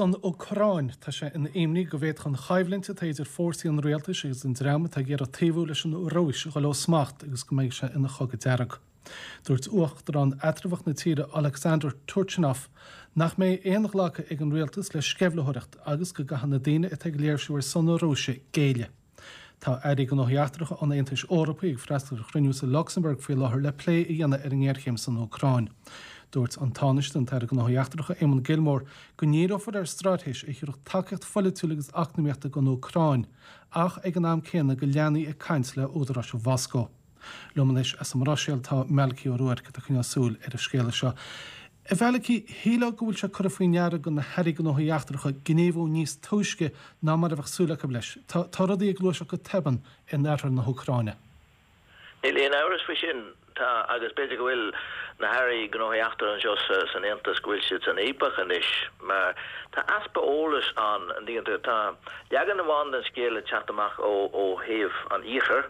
San Úcráin, tá sé ina imní go bhféadfadh an choimhlint atá idir fórsaí an rialtais agus an dream atá ag iarraidh taobhú leis an Rúis a dhul ó smacht agus go mbeidh sé ina chogadh dearg. Dúirt uachtarán eatramhach na tíre Oleksandr Turchynov nach mbeidh aon ghlacadh ag an rialtas le sceimhlitheoireacht agus go gcaithfidh na daoine atá ag léirsiú ar son na Rúise géilleadh. Tá Airí Gnóthaí Eachtracha an Aontais Eorpaigh ag freastal ar chruinniú sa Lucsamburg faoi láthair le plé a dhéanamh ar an ngéarchéim san Úcráin. Dúirt an Tánaiste, an tAire Gnóthaí Eachtracha, Eamon Gilmore, go ndíreofar ar straitéis a thabharfadh tacaíocht pholaitiúil agus eacnamaíochta don Úcráin, ach ag an am céanna go leanfaí ag caint le údaráis Mhoscó. Liom anois as an mBruiséil tá Malachy Ó Ruairc atá ag coinneáil súil ar an scéala seo. A Mhalachy, shílfeá go bhfuil sé curtha faoi ndeara do na hairí gnóthaí eachtracha gníomhú níos túisce ná mar a bheadh súil acu leis. Tá tá rudaí ag gluaiseacht go tobann in oirthear na hÚcráine. Níl aon amhras faoi sin. Tá, agus b'fhéidir go bhfuil na hairí gnóthaí eachtracha anseo san Aontas, go bhfuil siad san fhaopach anois mar tá easpa eolais ann. An dtuigeann tú? Tá leagan amháin den scéal ag teacht amach ó thaobh an Iarthair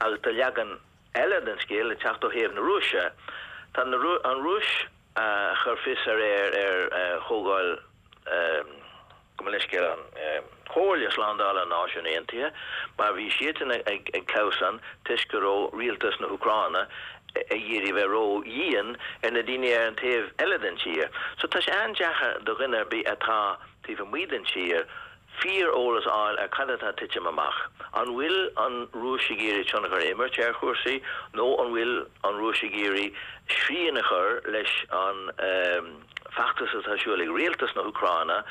agus tá leagan eile den scéal ag teacht ó thaobh na Rúise. Tá an Rúis a chuir fios aréir ar chomhdháil, gabh mo leithscéal, an Chomhairle Slándála na Náisiún Aontaithe mar bhí siadsan ag clamhsán toisc go raibh rialtas na hÚcráine ag iarraidh bheith ró-dhian ar na daoine ar an taobh eile den tír. So tá sé an-deacair do dhuine ar bith atá taobh amuigh den tír fíor-eolas a fháil ar cad atá ag titim amach. An bhfuil an Rúis ag iarraidh tionchar a imirt ar chúrsaí nó an bhfuil an Rúis ag iarraidh srian a chur leis an bhfeachtas atá ar siúl ag rialtas na hÚcráine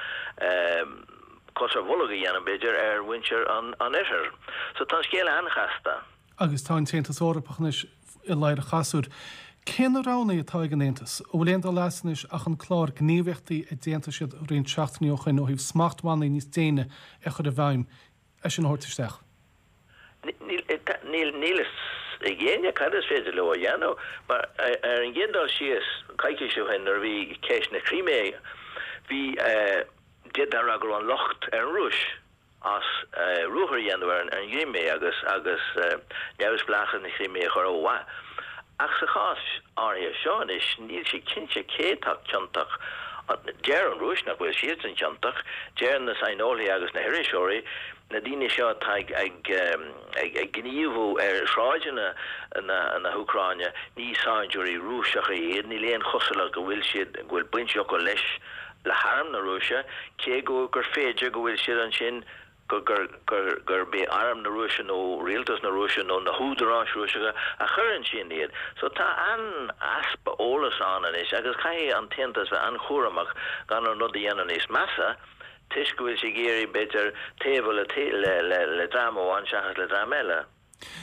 cos ar bholg a dhéanamh, b'fhéidir, ar mhuintir an oirthir? So tá an scéal an-chasta. Agus tá an tAontas Eorpach anois i ladhar an chasúir. Cé na roghanna atá ag an Aontas? An bhfuil aon dul as anois ach an clár gníomhaíochtaí a d'aontaigh siad roinnt seachtainí ó shoin ó thaobh smachtbhannaí níos déine a chur i bhfeidhm, é sin a thabhairt isteach? Níl níl a fhios ag éinne cad is féidir leo a dhéanamh mar ar an gcéad dul síos, coicís ó shin nuair a bhí ceist na Crimé, bhí, d'fhéadfá a rá go raibh an locht ar an Rúis. as ruathar a dhéanamh ar an gCrimé agus agus neamhspleáchas na Crimé a chur ó mhaith. Ach sa chás áirithe seo anois, níl sé cinnte cé atá ciontach. Deir an Rúis nach bhfuil siadsan ciontach. Deir na saineolaithe agus na hiriseoirí, na daoine seo atá ag ag gníomhú ar shráideanna na hÚcráine, ní saighdiúirí Rúiseacha iad, níl aon chosúlacht go bhfuil siad, go bhfuil baint acu leis le harm na Rúise, cé go gur féidir go bhfuil siad ansin go gur gur gurb é arm na Rúise nó rialtas na Rúise nó na húdaráis Rúiseacha a chuir ansin iad. So tá an-easpa eolais ann anois agus caithfidh an tAontas bheith an-chúramach gan an rud a dhéanamh níos measa toisc go bhfuil sé ag iarraidh, b'fhéidir, taobhú le le le le dream amháin seachas le dream eile.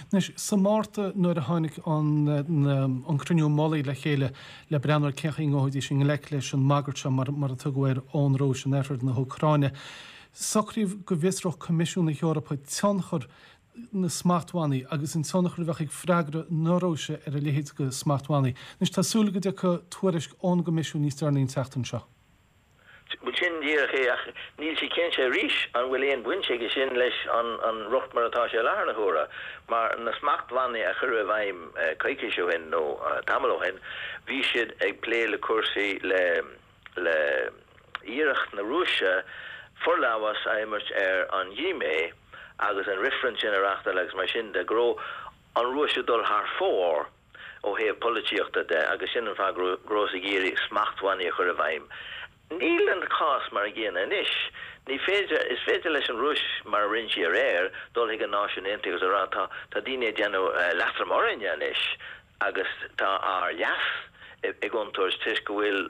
Anois, sa Márta nuair a tháinig an cruinniú mullaigh le chéile le breathnú ar cén chaoi a ngabhfaidís i ngleic leis an mbagairt seo, mar a tugadh air, ón Rúis in oirthear na hÚcráine, socraíodh go bhfiosródh Coimisiún na hEorpa tionchar na smachtbhannaí agus an tionchar a bheadh ag freagra na Rúise ar a leithéid de smachtbhannaí. Anois, tá súil go dtiocfaidh tuairisc ón gCoimisiún níos deireanaí an tseachtain seo. Bhuel, sin díreach é, ach níl sé cinnte arís an bhfuil aon bhaint aige sin leis an rud mar atá sé i láthair na huaire, mar na smachtbhannaí a cuireadh i bhfeidhm coicís ó shin nó tamall ó shin, bhí siad ag plé le cúrsaí le le iarracht na Rúise forlámhas a imirt ar an gCrimé agus an reifreann sin a reáchtáil agus mar sin de, go raibh an Rúis ag dul thar fóir. ó thaobh polaitíochta de agus sin an fáth go rabhthas ag iarraidh smachtbhannaí a chur i bhfeidhm. Níl an cás mar an gcéanna anois. Ní féidir, is féidir leis an Rúis, mar a rinne sí aréir, dul chuig an Náisiún Aontaithe agus a rá tá, tá daoine ag déanamh leatrom orainne anois agus tá ár leas i gcontúirt toisc go bhfuil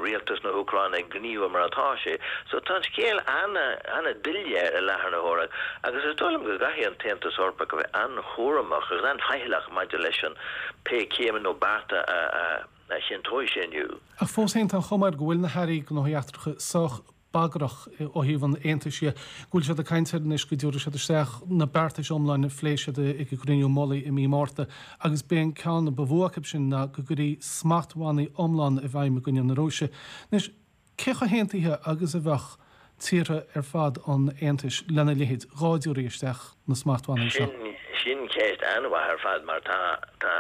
rialtas na hÚcráine ag gníomhú mar atá sé. So tá an scéal an-doiléir i láthair na huaire agus is dóigh liom go gcaithfidh an tAontas Eorpach a bheith an-chúramach agus an-fhaichilleach maidir leis an pé céimeanna nó bearta a chinnteoidh sé inniu. Ach fós féin tá an chuma air go bhfuil na hairí gnóthaí eachtracha sách bagrach ó thaobh an Aontais dhe, go bhfuil siad ag caint air anois go dtabharfaidh siad isteach na beartais iomláin a phléigh siad ag an gcruinniú mullaigh i mí Márta agus b'é an ceann ba mhó acu sin ná go gcuirfí smachtbhannaí iomlána i bhfeidhm i gcoinne na Rúise. Anois, cé chomh haontaithe agus a bheadh tíortha ar fad an Aontais lena leithéid dhá dtabharfaí isteach na smachtbhannaí seo? Sin, sin ceist an-mhaith ar fad mar tá, tá,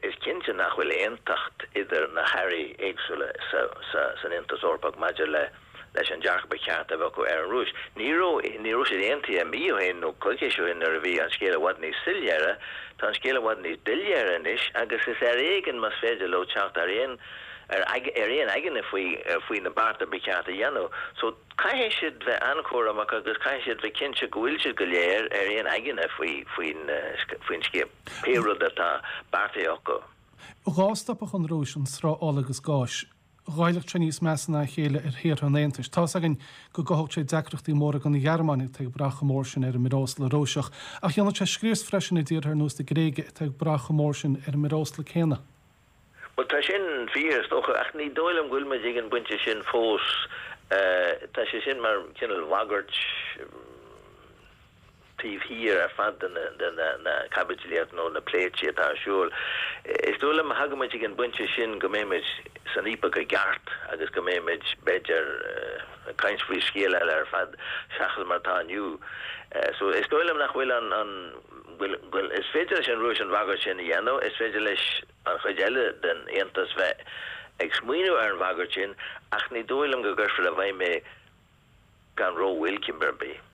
is cinnte nach bhfuil aontacht idir na hairí éagsúla sa, sa, san Aontas Eorpach maidir le. leis an dearcadh ba cheart a bheith acu ar an Rúis. Ní raibh, ní raibh siad aontaithe mí ó shin nó coicís ó shin nuair a bhí an scéal i bhfad níos soiléire. Tá an scéal i bhfad níos doiléire anois agus is ar éigean más féidir leo teacht ar aon, ar aon aigne faoi, faoi na bearta ba cheart a dhéanamh. So caithfidh siad bheith an-chúramach agus caithfidh siad bheith cinnte go bhfuil siad go léir ar aon aigne faoi, faoin, faoin scéal, pé rud atá beartaithe acu. Dhá stopfadh an Rúis an sruth ola agus gáis, ghoillfeadh sé níos measa ná a chéile ar thíortha an Aontais. Tá's againn go gcothódh sé deacrachtaí móra don Ghearmáin atá ag brath chomh mór sin ar an mbreosla Rúiseach, ach dhéanfadh sé scrios freisin i dtíortha ar nós na Gréige atá ag brath chomh mór sin ar an mbreosla céanna. Bhuel, tá sin fíor, is dócha, ach ní dóigh liom go bhfuil muid ag an bpointe sin fós. Tá sé sin mar chineál bhagairt. taobh thiar ar fad de na caibidlíocht nó na pléití atá ar siúl. Is dóigh liom má thagann muid ag an bpointe sin go mbeidh muid san fhaopach i gceart agus go mbeidh muid, b'fhéidir, ag caint faoi scéal eile ar fad seachas mar atá inniu. So is dóigh liom nach bhfuil an, an, bhfuil, bhfuil, is féidir leis an Rúis an bhagairt sin a dhéanamh, is féidir leis an chuid eile den Aontas bheith ag smaoineamh ar an bhagairt sin ach ní dóigh liom go gcuirfear i bhfeidhm é gan rómhoill, cibé ar bith.